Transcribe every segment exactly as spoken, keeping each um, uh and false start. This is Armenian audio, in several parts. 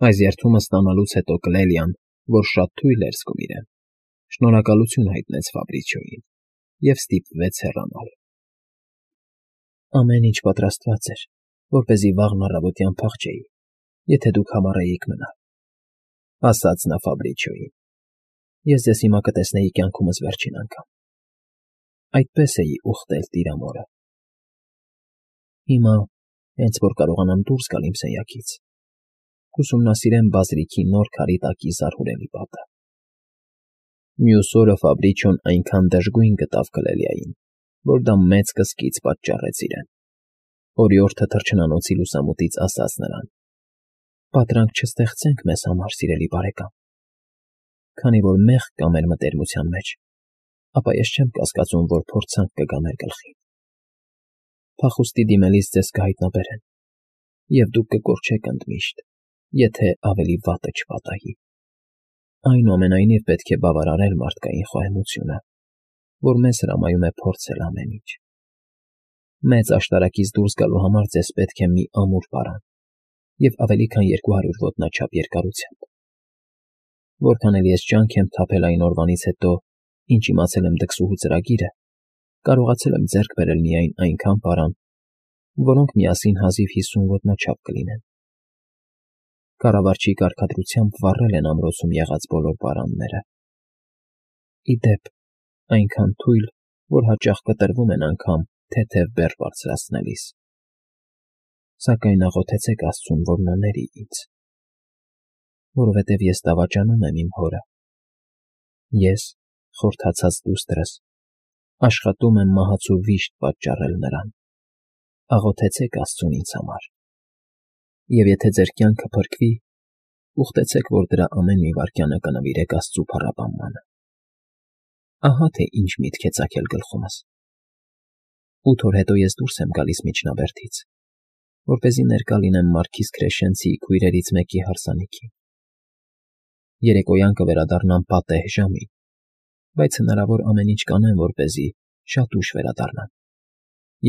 Այս երդումը ստանալուց հետո Կլելիան, որ շատ թույլ էր զգում իրեն, շնորհակալություն հայտնեց Ֆաբրիչոյին և ստիպվեց հեռանալ։ ֊ Ամեն ինչ պատրաստված էր, որպեսզի վաղն առավոտյան փախչեի, եթե դուք համառեիք մնալ,֊ ասաց նա Ֆաբրիչոյին։֊ Ես ձեզ հիմա կտեսնեի կյանքումս վերջին անգամ… Այդպես էի ուխտել տիրամորը… Հիմա, հենց որ կարողանամ դուրս գալ իմ սենյակից, կուսումնասիրեմ բազրիքի նոր քարի տակի զարհուրելի պատը… Մյուս օրը Ֆաբրիչոն այնքան դժգույն գտավ Կլելիային, որ դա մեծ կսկիծ պատճառեց իրեն։ Օրիորդը թռչնանոցի լուսամուտից ասաց նրան. «Պատրանք չստեղծենք մեզ համար, սիրելի բարեկամ… Քանի որ մեղք կա մեր մտերմության մեջ, ապա ես չեմ կասկածում, որ փորձանք կգա մեր գլխին… Փախուստի դիմելիս ձեզ կհայտնաբերեն, և դուք կկորչեք ընդմիշտ, եթե ավելի վատը չպատահի… Այնուամենայնիվ պետք է բավարարել մարդկային խոհեմությունը, որ մեզ հրամայում է փորձել ամեն ինչ… Մեծ աշտարակից դուրս գալու համար ձեզ պետք է մի ամուր պարան և ավելի քան երկու հարյուր ոտնաչափ երկարությամբ… Որքան էլ ես ջանք եմ թափել այն օրվանից հետո, ինչ իմացել եմ դքսուհու ծրագիրը, կարողացել եմ ձեռք բերել միայն այնքան պարան, որոնք միասին հազիվ հիսուն ոտնաչափ կլինեն… Կառավարչի կարգադրությամբ վառել են ամրոցում եղած բոլոր պարանները… Ի դեպ, այնքան թույլ, որ հաճախ կտրվում են անգամ թեթև բեռ բարձրացնելիս… Սակայն աղոթեցեք աստծուն, որ նա ների ինձ… Որովհետև ես դավաճանում եմ իմ հորը… Ես, խորթացած դուստրս, աշխատում եմ մահացու վիշտ պատճառել նրան… Աղոթեցեք աստծուն ինձ համար… Եվ եթե ձեր կյանքը փրկվի, ուխտեցեք, որ դրա ամեն մի վայրկյանը կնվիրեք աստծու փառաբանմանը… Ահա թե ինչ միտք է ծագել գլխումս… Ութ օր հետո ես դուրս եմ գալիս միջնաբերդից, որպեսզի ներկա լինեմ Մարքիզ Քրեշենցի քույրերից մեկի հարսանիքին… Երեկոյան կվերադառնամ պատեհ ժամին, բայց հնարավոր ամեն ինչ կանեմ, որպեսզի շատ ուշ վերադառնամ,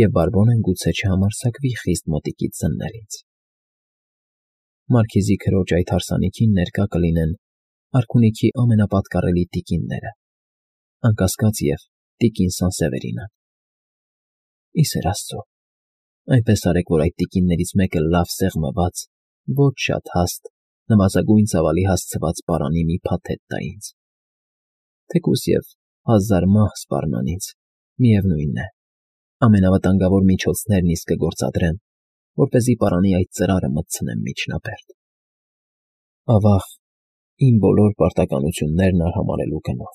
և բարբոնեն գուցե չհամարձակվի խիստ մոտիկից զննել ինձ… Մարքիզի քրոջ այդ հարսանիքին ներկա կլինեն արքունիքի ամենապատկառելի տիկինները, անկասկած և տիկին Սանսևերինը… Ի սեր աստծո, այնպես արեք, որ այդ տիկիններից մեկը լավ սեղմված, ոչ շատ հաստ, նվազագույն ծավալի հասցված պարանի մի փաթեթ տա ինձ… Թեկուզ և հազար մահ սպառնան ինձ, միևնույն է, ամենավտանգավոր միջոցներն իսկ կգործադրեմ, որպեսզի պարանի այդ ծրարը մտցնեմ միջնաբերդ… Ավա՜ղ, իմ բոլոր պարտականություններն արհամարհելու գնով…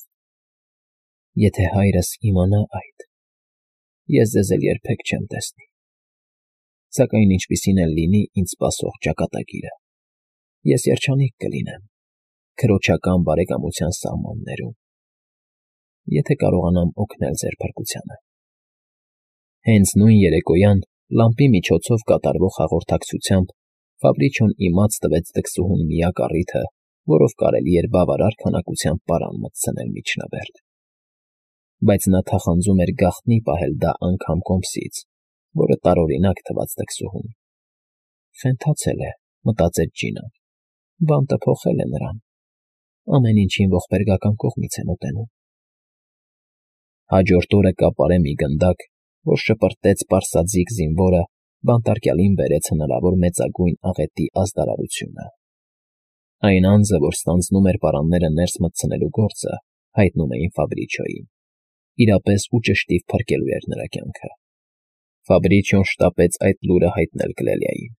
Եթե հայրս իմանա այդ, ես ձեզ էլ երբեք չեմ տեսնի… Սակայն ինչպիսին էլ լինի ինձ սպասող ճակատագիրը, ես երջանիկ կլինեմ քրոջական բարեկամության սահմաններում… Եթե կարողանամ օգնել ձեր փրկությանը… Հենց նույն երեկոյան լամպի միջոցով կատարվող հաղորդակցությամբ Ֆաբրիչոն իմաց տվեց դքսուհուն միակ առիթը, որով կարելի էր բավարար քանակությամբ պարան մտցնել միջնաբերդ… Բայց նա թախանձում էր գաղտնի պահել դա անգամ կոմսից, որը տարօրինակ թվաց դքսուհուն… Խենթացել է, մտածեց Ջինան, բանտը փոխել է նրան… Ամեն ինչին ողբերգական կողմից է մոտենում… Հաջորդ օրը կապարե մի գնդակ, որ շպրտեց պարսաձիգ զինվորը, բանտարկյալին բերեց հնարավոր մեծագույն աղետի ազդարարությունը… Այն անձը, որ ստանձնում էր պարանները ներս մտցնելու գործը, հայտնում էին Ֆաբրիչոյին… Իրապես ու ճշտիվ փրկելու էր նրա կյանքը… Ֆաբրիչոն շտապեց այդ լուրը հայտնել Կլելիային…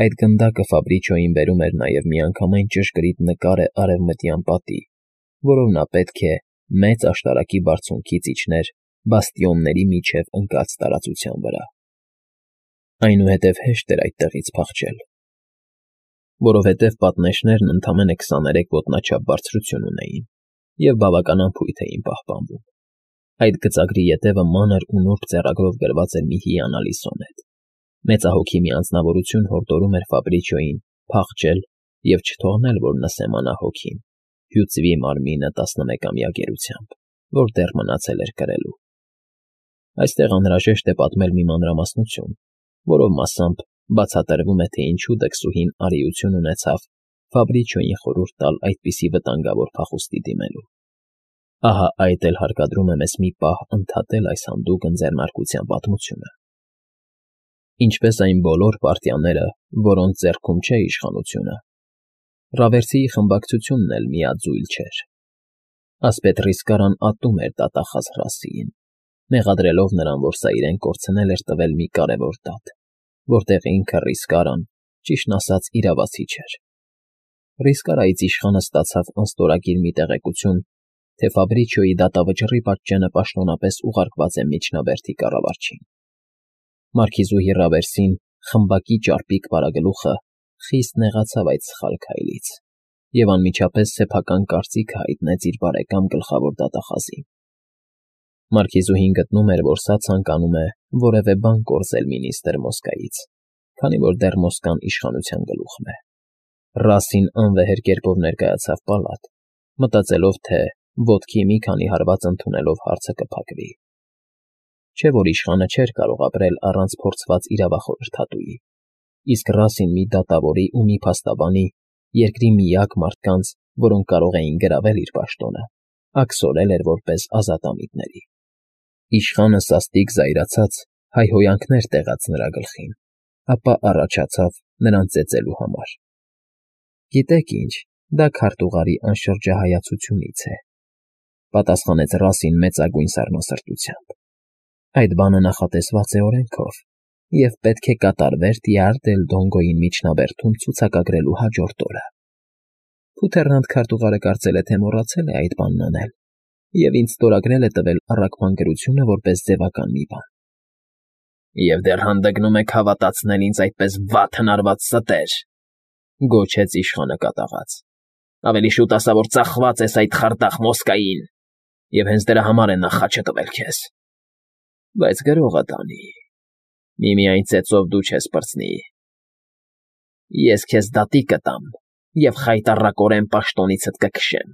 Այդ գնդակը Ֆաբրիչոյին բերում էր նաև միանգամայն ճշգրիտ նկարը արևմտյան պատի, որով նա պետք է մեծ աշտարակի բարձունքից իջներ բաստիոնների միջև ընկած տարածության վրա… Այնուհետև հեշտ էր այդտեղից փախչել, որովհետև պատնեշներն ընդամենը քսաներեք ոտնաչափ բարձրություն ունեին և բավական անփույթ էին պահպանվում… Այդ գծագրի ետևը մանր ու նուրբ ձեռագրով գրված էր մի հիանալի սոնետ… Մեծահոգի մի անձնավորություն հորդորում էր Ֆաբրիչոյին փախչել և չթողնել, որ նսեմանա հոգին, հյուծվի մարմինը տասնմեկամյա գերությամբ, որ դեռ մնացել էր կրելու… Այստեղ անհրաժեշտ է պատմել մի մանրամասնություն, որով մասամբ բացատրվում է, թե ինչու դքսուհին արիություն ունեցավ Ֆաբրիչոյին խորհուրդ տալ այդպիսի վտանգավոր փախուստի դիմելու։ Ահա այդ էլ հարկադրում է մեզ մի պահ ընդհատել այս հանդուգն ձեռնարկության պատմությունը։ Ինչպես այն բոլոր պարտիաները, որոնց ձեռքում չէ իշխանությունը, Ռավերսիի խմբակցությունն էլ միաձույլ չէր։ Ասպետ Ռիսկարան ատում էր դատախազ Ռասիին, մեղադրելով նրան, որ սա իրեն կորցնել էր տվել մի կարևոր դատ, որտեղ ինքը Ռիսկարան, ճիշտն ասած, իրավացի չէր։ Ռիսկարայից իշխանը ստացավ անստորագիր մի տեղեկություն, թե Ֆաբրիչոյի դատավճռի պատճենը պաշտոնապես ուղարկված է միջնաբերդի կառավարչին։ Մարքիզուհի Ռավերսին, խմբակի ճարպիկ վարագլուխը, խիստ նեղացավ այդ սխալ քայլից և անմիջապես սեփական կարծիքը հայտնեց իր բարեկամ գլխավոր դատախազին։ Մարքիզուհին գտնում էր, որ սա ցանկանում է որևէ բան կորզել մինիստր Մոսկայից, քանի որ դեռ Մոսկվան իշխանության գլուխն է։ Ռասին անվեհեր կերպով ներկայացավ պալատ, մտածելով, թե ոտքի մի քանի հարված ընդունելով հարցը կփակվի։ Չէ՞ որ իշխանը չէր կարող ապրել առանց փորձված իրավախորհրդատուի, իսկ Ռասին մի դատավորի ու մի փաստաբանի, երկրի միակ մարդկանց, որոնք կարող էին գրավել իր պաշտոնը, աքսորել էր որպես ազատամիտների։ Իշխանը սաստիկ զայրացած հայհոյանքներ տեղաց նրա գլխին, ապա առաջացավ նրան ծեծելու համար։ Գիտեք ինչ, դա քարտուղարի անշրջահայացությունից է, պատասխանեց Ռասին մեծագույն սառնասրտությամբ։ Այդ բանը նախատեսված է օրենքով և պետք է կատարվեր Տյար դել Դոնգոյին միջնաբերդում ցուցակագրելու հաջորդ օրը։ Փութեռնանդ քարտուղարը կարծել է, թե մոռացել է այդ բանն անել և ինձ ստորագրել է տվել առաքման գրությունը որպես ձևական մի բան։ Եվ դեռ հանդգնում եք հավատացնել ինձ այդպես վատ հնարված ստեր, գոչեց իշխանը կատաղած։ Ավելի շուտ ասա, որ ծախված ես այդ խարդախ Մոսկային, և հենց դրա համար է նա խաչը տվել քեզ։ Բայց գրողը տանի, միմիայն ծեծով դու չես պրծնի։ Ես քեզ դատի կտամ և խայտառակորեն պաշտոնիցդ կքշեմ։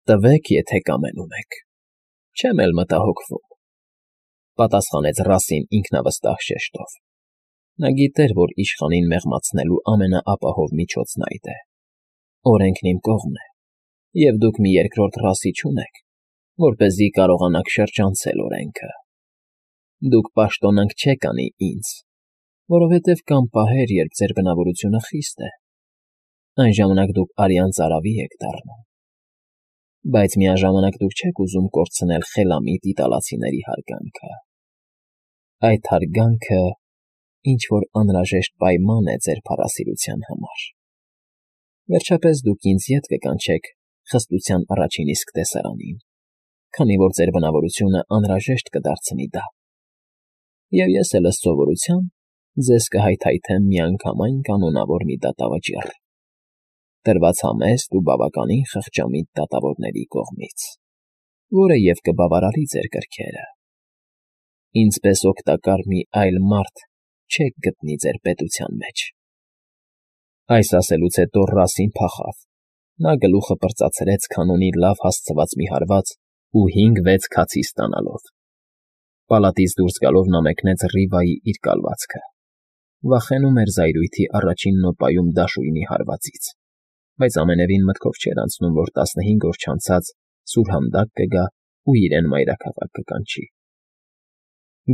Տվեք, եթե կամենում եք, չեմ էլ մտահոգվում, պատասխանեց Ռասին ինքնավստահ շեշտով։ Նա գիտեր, որ իշխանին մեղմացնելու ամենաապահով միջոցն այդ է։ Օրենքն իմ կողմն է, և դուք մի երկրորդ Ռասի չունեք, որպեսզի կարողանաք շրջանցել օրենքը։ Դուք պաշտոնանկ չեք անի ինձ, որովհետև կան պահեր, երբ ձեր բնավորությունը խիստ է, այն ժամանակ դուք արյան ծարավի եք դառնում, բայց միաժամանակ դուք չեք ուզում կորցնել խելամիտ իտալացիների հարգանքը։ Այդ հարգանքը ինչ֊որ անհրաժեշտ պայման է ձեր փառասիրության համար։ Վերջապես դուք ինձ ետ կկանչեք խստության առաջին իսկ տեսարանին, քանի որ ձեր բնավորությունը անհրաժեշտ կդարձնի դա։ Եվ ես էլ ըստ սովորության ձեզ կհայթայթեմ միանգամայն կանոնավոր մի դատավճիռ, տրված համեստ ու բավականին խղճամիտ դատավորների կողմից, որը և կբավարարի ձեր կրքերը։ Ինձ պես օգտակար մի այլ մարդ չեք գտնի ձեր պետության մեջ։ Այս ասելուց հետո Ռասին փախավ, նա գլուխը պրծացրեց քանոնի լավ հասցված մի հարված ու հինգ֊վեց քացի ստանալով։ Պալատից դուրս գալով նա մեկնեց Ռիվայի իր կալվածքը։ Վախենում էր զայրույթի առաջին նոպայում դաշույնի հարվածից, բայց ամենևին մտքով չէր անցնում, որ տասնհինգ օր չանցած սուրհանդակ կգա ու իրեն մայրաքաղաք կկանչի։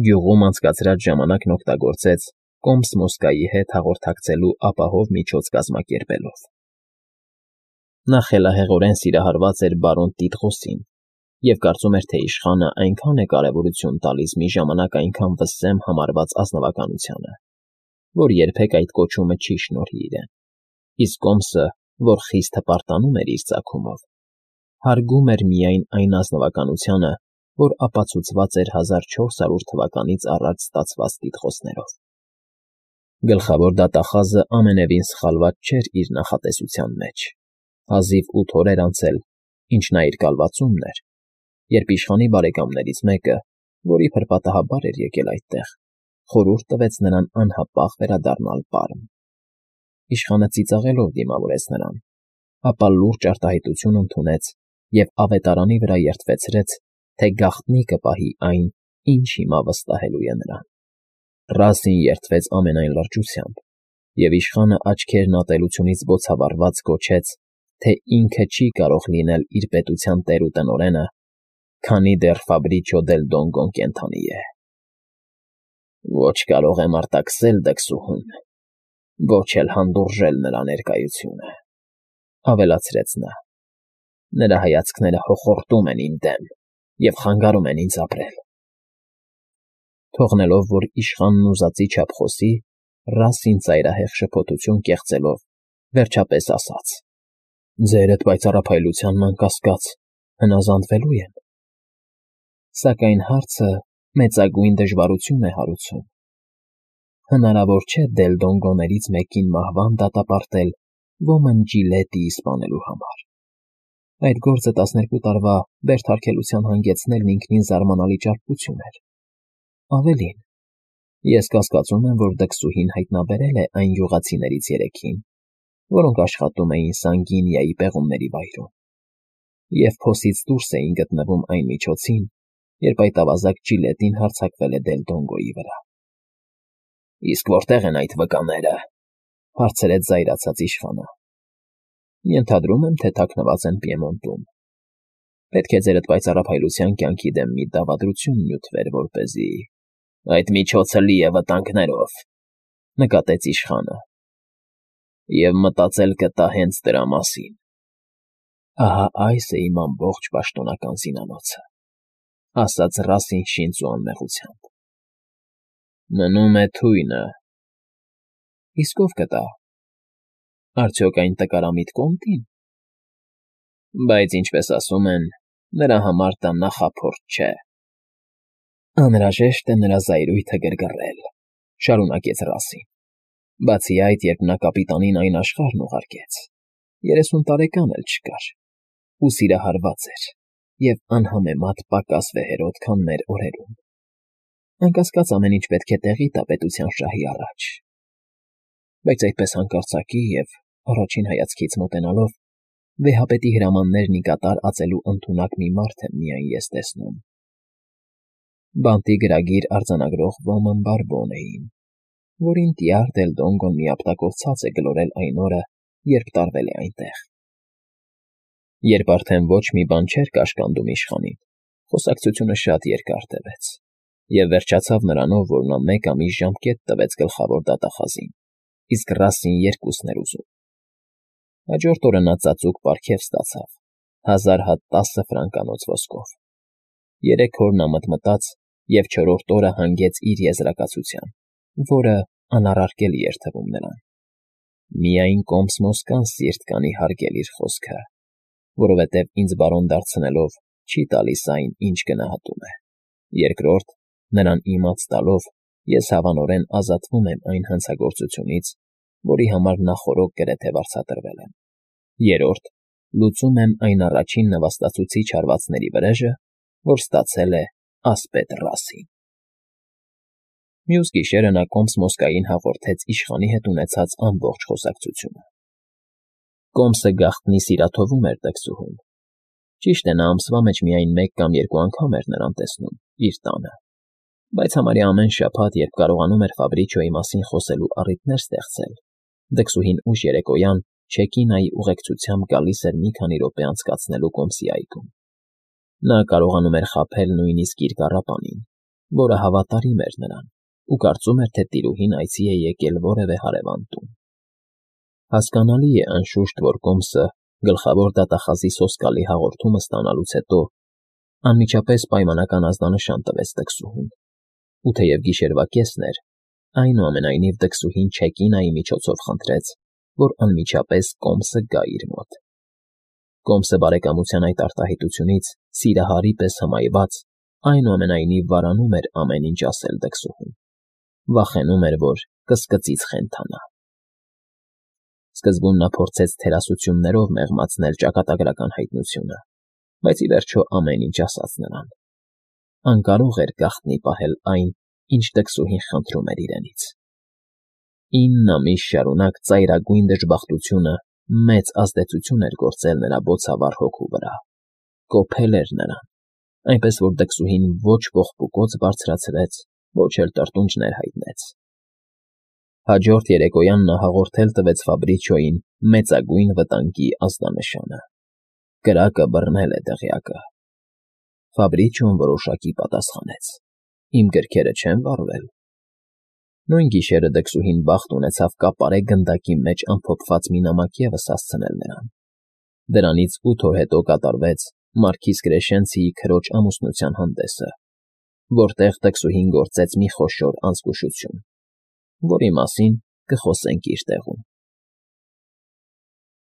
Գյուղում անցկացրած ժամանակն օգտագործեց Կոմս Մոսկայի հետ հաղորդակցելու ապահով միջոց կազմակերպելով։ Նա խելահեղորեն սիրահարված էր բարոն Տիտղոսին և կարծում էր, թե իշխանը այնքան է կարևորություն տալիս մի ժամանակ այնքան վսեմ համարված ազնվականությանը, որ երբեք այդ կոչումը չի շնորհի իրեն, իսկ Կոմսը, որ խիստ հպարտանում էր իր ծագումով, հարգում էր միայն այն ազնվականությանը, որ ապացուցված էր հազար չորս հարյուր թվականից առաջ ստացված տիտղոսներով։ Գլխավոր դատախազը ամենևին սխալված չէր իր նախատեսության մեջ։ Հազիվ ութ օր էր անցել, ինչ նա իր կալվածումն էր, երբ իշխանի բարեկամներից մեկը, որի փրփատահաբար էր եկել այդտեղ, խորհուրդ տվեց նրան անհապաղ վերադառնալ Պարմ։ Իշխանը ծիծաղելով դիմավորեց նրան, ապա լուրջ արտահայտություն ընդունեց և ավետարանի վրա երդվեցրեց, թե գաղտնի կպահի այն, ինչ հիմա վստահելու է նրան։ Ռասին երդվեց ամենայն լրջությամբ, և իշխանը աչքերն ատելությունից բոցավառված գոչեց, թե ինքը չի կարող լինել իր պետության տեր ու տնօրենը, քանի դեռ Ֆաբրիչո դել Դոնգոն կենդանի է։ Ոչ կարող եմ արտաքսել դքսուհուն, ոչ էլ հանդուրժել նրա ներկայությունը, ավելացրեց նա. նրա հայացքները հոխորտում են իմ դեմ և խանգարում են ինձ ապրել։ Թողնելով, որ իշխանն ուզածի չափ խոսի, Ռասին ծայրահեղ շփոթություն կեղծելով, վերջապես ասաց. ձերդ պայծառափայլությանն անկասկած հնազանդվելու եմ։ Սակայն հարցը մեծագույն դժվարություն է հարուցում։ Հնարավոր չէ դել Դոնգոներից մեկին մահվան դատապարտել ոմն Ջիլետիի սպանելու համար։ Այդ գործը տասներկու տարվա բերդարգելության հանգեցնելն ինքնին զարմանալի ճարպկություն էր։ Ավելին, ես կասկածում եմ, որ դքսուհին հայտնաբերել է այն գյուղացիներից երեքին, որոնք աշխատում էին Սանգինիայի պեղումների վայրում, և փոսից դուրս էին գտնվում այն միջոցին, երբ այդ ավազակ Ջիլետին հարձակվել է Դել Դոնգոյի վրա։ Իսկ որտե՞ղ են այդ վկաները, հարցրեց զայրացած իշխանը։ Ենթադրում եմ, թե թաքնված են Պիեմոնտում։ Պետք է ձերդ պայծառափայլության կյանքի դեմ մի դավադրություն նյութվեր, որպեսզի… Այդ միջոցը լի է վտանգներով, նկատեց իշխանը, և մտածել կտա հենց դրա մասին։ Ահա այս է իմ ամբողջ պաշտոնական զինանոցը, ասաց Ռասին շինծու անմեղությամբ։ Մնում է թույնը։ Իսկ ով կտա։ Արդյոք այն տկարամիտ Կոմտի՞ն։ Բայց, ինչպես ասում են, նրա համար դա նախափորձ չէ։ Անհրաժեշտ է նրա զայրույթը գրգռել, շարունակեց Ռասին։ Բացի այդ, երբ նա կապիտանին այն աշխարհն ուղարկեց, երեսուն տարեկան էլ չկար, ու սիրահարված էր, և անհամեմատ պակաս վեհերոտ, քան մեր օրերում։ Անկասկած ամեն ինչ պետք է տեղի տա պետության շահի առաջ։ Բայց այդպես հանկարծակի և առաջին հայացքից մոտենալով, վեհապետի հրամաններն ի կատար ածելու ընդունակ մի մարդ եմ միայն ես տեսնում։ Բանտի գրագիր արձանագրող ոմն Բարբոնեին, որին Տյար Դել Դոնգոն մի ապտակով ցած է գլորել այն օրը, երբ տարվել է այնտեղ։ Երբ արդեն ոչ մի բան չէր կաշկանդում իշխանին, խոսակցությունը շատ երկար տևեց, և վերջացավ նրանով, որ նա մեկ ամիս ժամկետ տվեց գլխավոր դատախազին, իսկ Ռասին երկուսն էր ուզում։ Հաջորդ օրը նա ծածուկ պարգև ստացավ, հազար հատ տասը ֆրանկանոց ոսկով։ Երեք օր նա մտմտաց և չորրորդ օրը հանգեց իր եզրակացության, որը անառարկելի էր թվում նրան։ Միայն Կոմս֊Մոսկան սիրտ կանի հարգել իր խոսքը, որովհետև ինձ բարոն դարձնելով չի տալիս այն, ինչ գնահատում է։ Երկրորդ, նրան իմաց տալով, ես հավանորեն ազատվում եմ այն հանցագործությունից, որի համար նախօրոք գրեթե վարձատրվել եմ։ Երրորդ, լուծում եմ այն առաջին նվաստացուցիչ հարվածների վրեժը, որ ստացել է ասպետ Ռասին։ Մյուս գիշերը նա Կոմս֊Մոսկային հաղորդեց իշխանի հետ ունեցած ամբողջ խոսակցությունը։ Կոմսը գաղտնի սիրաթովում էր դքսուհուն։ Ճիշտ է, նա ամսվա մեջ միայն մեկ կամ երկու անգամ էր նրան տեսնում իր տանը, բայց համարյա ամեն շաբաթ, երբ կարողանում էր Ֆաբրիչոյի մասին խոսելու առիթներ ստեղծել, դքսուհին ուշ երեկոյան Չեկինայի ուղեկցությամբ գալիս էր մի քանի րոպե անցկացնելու Կոմսի այգում։ Նա կարողանում էր խաբել նույնիսկ իր կառապանին, որը հավատարիմ էր նրան, ու կարծում էր, թե տիրուհին այցի է եկել որևէ հարևան տուն։ Հասկանալի է, անշուշտ, որ Կոմսը գլխավոր դատախազի սոսկալի հաղորդումը ստանալուց հետո անմիջապես պայմանական ազդանշան տվեց դքսուհուն, ու թեև գիշերվա կեսն էր, այնուամենայնիվ դքսուհին Չեկինայի միջոցով խնդրեց, որ անմիջապես Կոմսը գա իր մոտ։ Կոմսը բարեկամության այդ արտահայտությունից սիրահարի պես հմայված, այնուամենայնիվ վարանում էր ամեն ինչ ասել դքսուհուն, վախենում էր, որ կսկծից խենթանա։ Սկզբում նա փորձեց թերասություններով մեղմացնել ճակատագրական հայտնությունը, բայց ի վերջո ամեն ինչ ասաց նրան։ Անկարող էր գաղտնի պահել այն, ինչ դքսուհին խնդրում էր իրենից։ Ինն ամիս շարունակ ծայրագույն դժբախտությունը մեծ ազդեցություն էր գործել նրա բոցավառ հոգու վրա, կոփել էր նրան, այնպես որ դքսուհին ոչ ողբուկոց բարձրացրեց, ոչ էլ տրտունջներ հայտնեց։ Հաջորդ երեկոյան նա հաղորդել տվեց Ֆաբրիչոյին մեծագույն վտանգի ազդանշանը. կրակը բռնել է դղյակը։ Ֆաբրիչոն որոշակի պատասխանեց. իմ գրքերը չեն վառվել։ Նույն գիշերը դքսուհին բախտ ունեցավ կապարե գնդակի մեջ ամփոփված մի նամակ ևս հասցնել նրան։ Դրանից ութ օր հետո կատարվեց մարքիզ Կրեշենցիի քրոջ ամուսնության հանդեսը, որտեղ դքսուհին գործեց մի խոշոր անզգուշություն, որի մասին կխոսենք իր տեղում։